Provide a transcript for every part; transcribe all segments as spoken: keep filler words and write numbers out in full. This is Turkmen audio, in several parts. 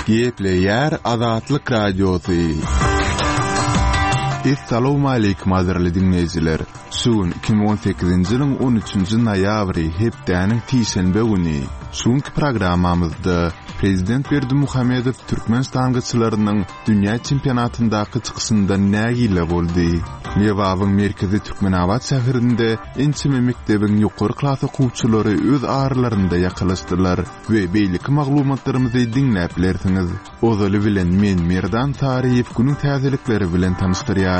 Gepleýär Azatlyk Radiosy. Essalawmaleýkim gadyrly diňleýjiler! Şu gün iki müň on sekizinji ýylyň on üçünji noýabry, hepdäniň sişenbe güni. Şu günki programmamyzda Prezident Berdimuhamedow türkmen ştangaçylarynyň dünýä çempionatyndaky çykyşyndan nägile boldy. Lebabyň merkezi Türkmenabat şäherinde ençeme mekdebiň ýokary klas okuwçylary öz aralarynda ýakalaşdylar we beýleki maglumatlarymyzy diňläp bilersiňiz. Ozaly bilen men Merdan Saryýew günüň täzelikleri bilen tanyşdyrýaryn.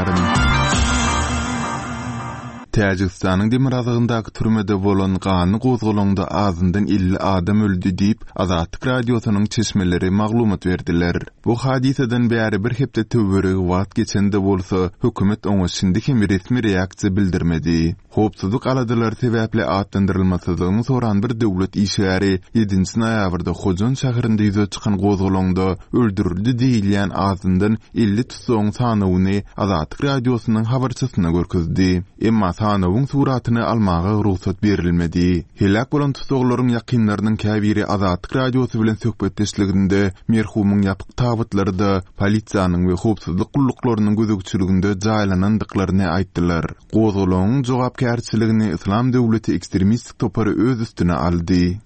Täjigistanyň demirgazygyndaky türmede bolan ganly gozgalaňda azyndan elli adam öldi diýip, Azatlyk Radiosynyň çeşmeleri maglumat berdiler. Bu hadysadan bäri bir hepde töweregi wagt geçen-de bolsa, hökümet oňa şindi hem resmi reaksiýa bildirmedi. Howpsuzlyk aladalary sebäpli atlandyrylmasyzlygyny soran bir döwlet işgäri ýedinji noýabrda Hojant şäherinde ýüze çykan gozgalaňda öldürildi diýilýän azyndan elli tussagyň sanawyny Azatlyk Radiosynyň habarçysyna görkezdi. Emma sanawyň suratyny almaga rugsat berilmedi. Heläk bolan tussaglaryň ýakynlarynyň käbiri Azatlyk Radiosy bilen söhbetdeşliginde merhumyň ýapyk tabytlarda polisiýanyň we howpsuzlyk gulluklarynyň gözegçiliginde jaýlanandyklaryny aýtdylar. Gozgalaňyň jogapkärçiligini Yslam döwleti ekstremistik topary öz üstüne aldy.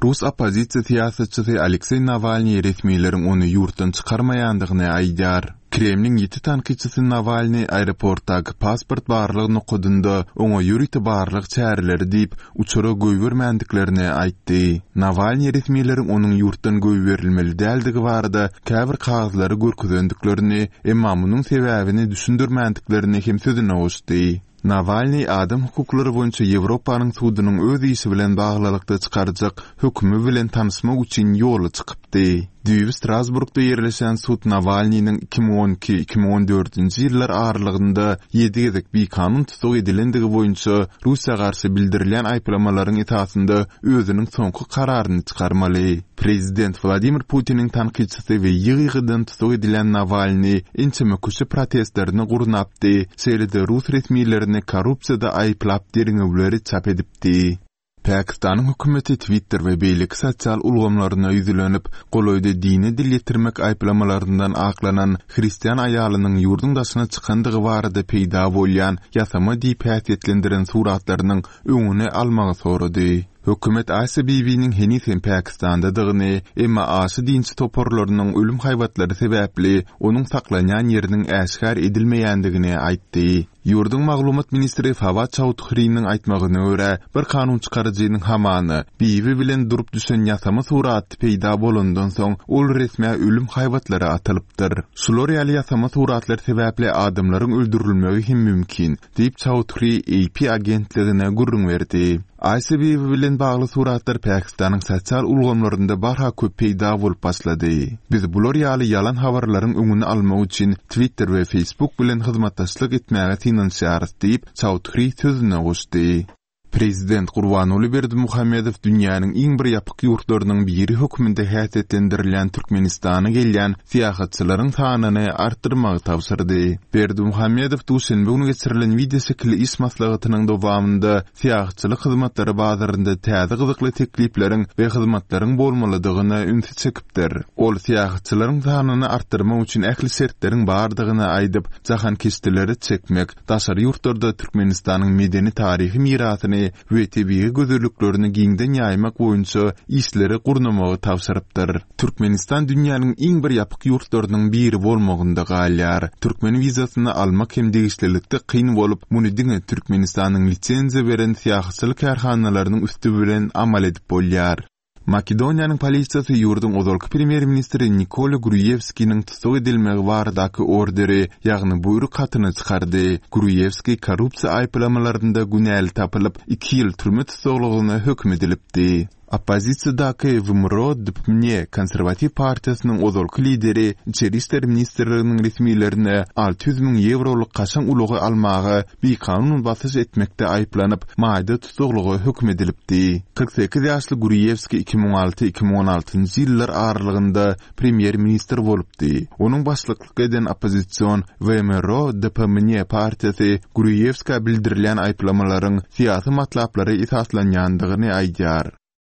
Rus oppozisiýa syýasatçysy Alekseý Nawalnyý resmileriň ony ýurtdan çykarmaýandygyny aýdýar. Kremliň ýiti tankytçysy Nawalnyý aeroportdaky pasport barlag nokadynda oňa ýörite barlag çäreleri diýip, uçara goýbermändiklerini aýtdy. Nawalnyý resmileriň onuň ýurtdan goýberilmeli däldigi barada käbir kagyzlary görkezendiklerini, emma munuň sebäbini düşündirmändiklerini hem sözüne goşdy. Nawalnyý adam hukuklary boýunça Ýewropanyň sudunyň öz işi bilen baglylykda çykarjak hökümi bilen tanyşmak üçin ýola çykypdy. Düýbi Strasburgda ýerleşen sud Nawalnynyň iki müň on iki, iki müň on dördünji ýyllar aralygynda ýedi gezek bikanun tussag edilendigi boýunça Russiýa garşy bildirilýän aýyplamalaryň esasynda özüniň soňky kararyny çykarmaly. Prezident Wladimir Putiniň tankytçysy we ýygy-ýygydan tussag edilýän Nawalnyý ençeme köçe protestlerini gurnapdy, şeýle-de rus resmilerini korrupsiýada aýyplap derňewleri çap edipdi. Pakistanyň hökümeti Twitter we beýleki sosial ulgamlaryna ýüzlenip, golaýda dine dil ýetirmek aýyplamalaryndan aklanan hristian aýalynyň ýurduň daşyna çykandygy barada peýda bolýan ýasama diýip häsiýetlendiren suratlarynyň öňüni almagy sorady. Hökümet Asia Bibiniň heniz hem Pakistandadygyny, emma aşa dinçi toparlarynyň ölüm haýbatlary sebäpli onuň saklanýan ýeriniň äşgär edilmeýändigini aýtdy. Ýurduň maglumat ministri Fawad Çaudhrynyň aýtmagyna görä, bir kanun çykaryjynyň hamana Bibi bilen durup düşen ýasama suraty peýda bolandan soň ol resmä ölüm haýbatlary atylypdyr. Şular ýaly ýasama suratlar sebäpli adamlaryň öldürilmegi hem mümkin, diýip Çaudhry A P agentligine gürrüň berdi. Asia Bibi bilen bagly suratlar Pakistanyň sosial ulgamlarynda barha köp peýda bolup başlady. Biz bular ýaly ýalan habarlaryň öňüni almak üçin Twitter we Facebook bilen hyzmatdaşlyk etmäge synanyşýarys diýip, Çaudhry sözüne goşdy. Prezident Gurbanguly Berdimuhamedow dünýäniň iň bir ýapyk ýurtlarynyň biri hökmünde häsiýetlendirilýän Türkmenistana gelýän syýahatçylaryň sanyny artdyrmagy tabşyrdy. Berdimuhamedow duşenbe güni geçirilen wideoşekilli iş maslahatynyň dowamynda syýahatçylyk hyzmatlary bazarynda täze gyzykly teklipleriň we hyzmatlaryň bolmalydygyna ünsi çekipdir. Ol syýahatçylaryň sanyny artdyrmak üçin ähli şertleriň bardygyny aýdyp, jahankeşdeleri çekmek, daşary ýurtlarda Türkmenistanyň medeni-taryhy mirasyny we tebigy gözelliklerini giňden ýaýmak boýunça işleri gurnamagy tabşyrypdyr. Türkmenistan dünýäniň iň bir ýapyk ýurtlarynyň biri bolmagynda galýar. Türkmen wizasyny almak hem degişlilikde kyn bolup, muny diňe Türkmenistanyň lisenziýa beren syýahatçylyk kärhanalarynyň üsti bilen amal edip bolýar. Makedoniýanyň polisiýasy ýurduň ozalky premýer-ministri Nikola Gruýewskiniň tussag edilmegi baradaky orderi, ýagny buýruk hatyny çykardy. Gruýewski korrupsiýa aýyplamalarynda günäli tapylyp, iki ýyl türme tussaglygyna höküm edilipdi. Oppozisiýadaky W M R O D P M N konserwatiw partiýasynyň ozalky lideri Içeri işler ministrliginiň resmilerine alty ýüz müň ýewrolyk kaşaň ulagy almaga bikanun basyş etmekde aýyplanyp, maýda tussaglyga höküm edilipdi. Kyrk sekiz ýaşly Gruýewski iki müň alty iki müň on altynjy ýyllar aralygynda premýer-ministr bolupdy. Onuň başlyklyk eden oppozision W M R O D P M N partiýasy Gruýewskä bildirilýän aýyplamalaryň syýasy matlaplara esaslanýandygyny aýdýar.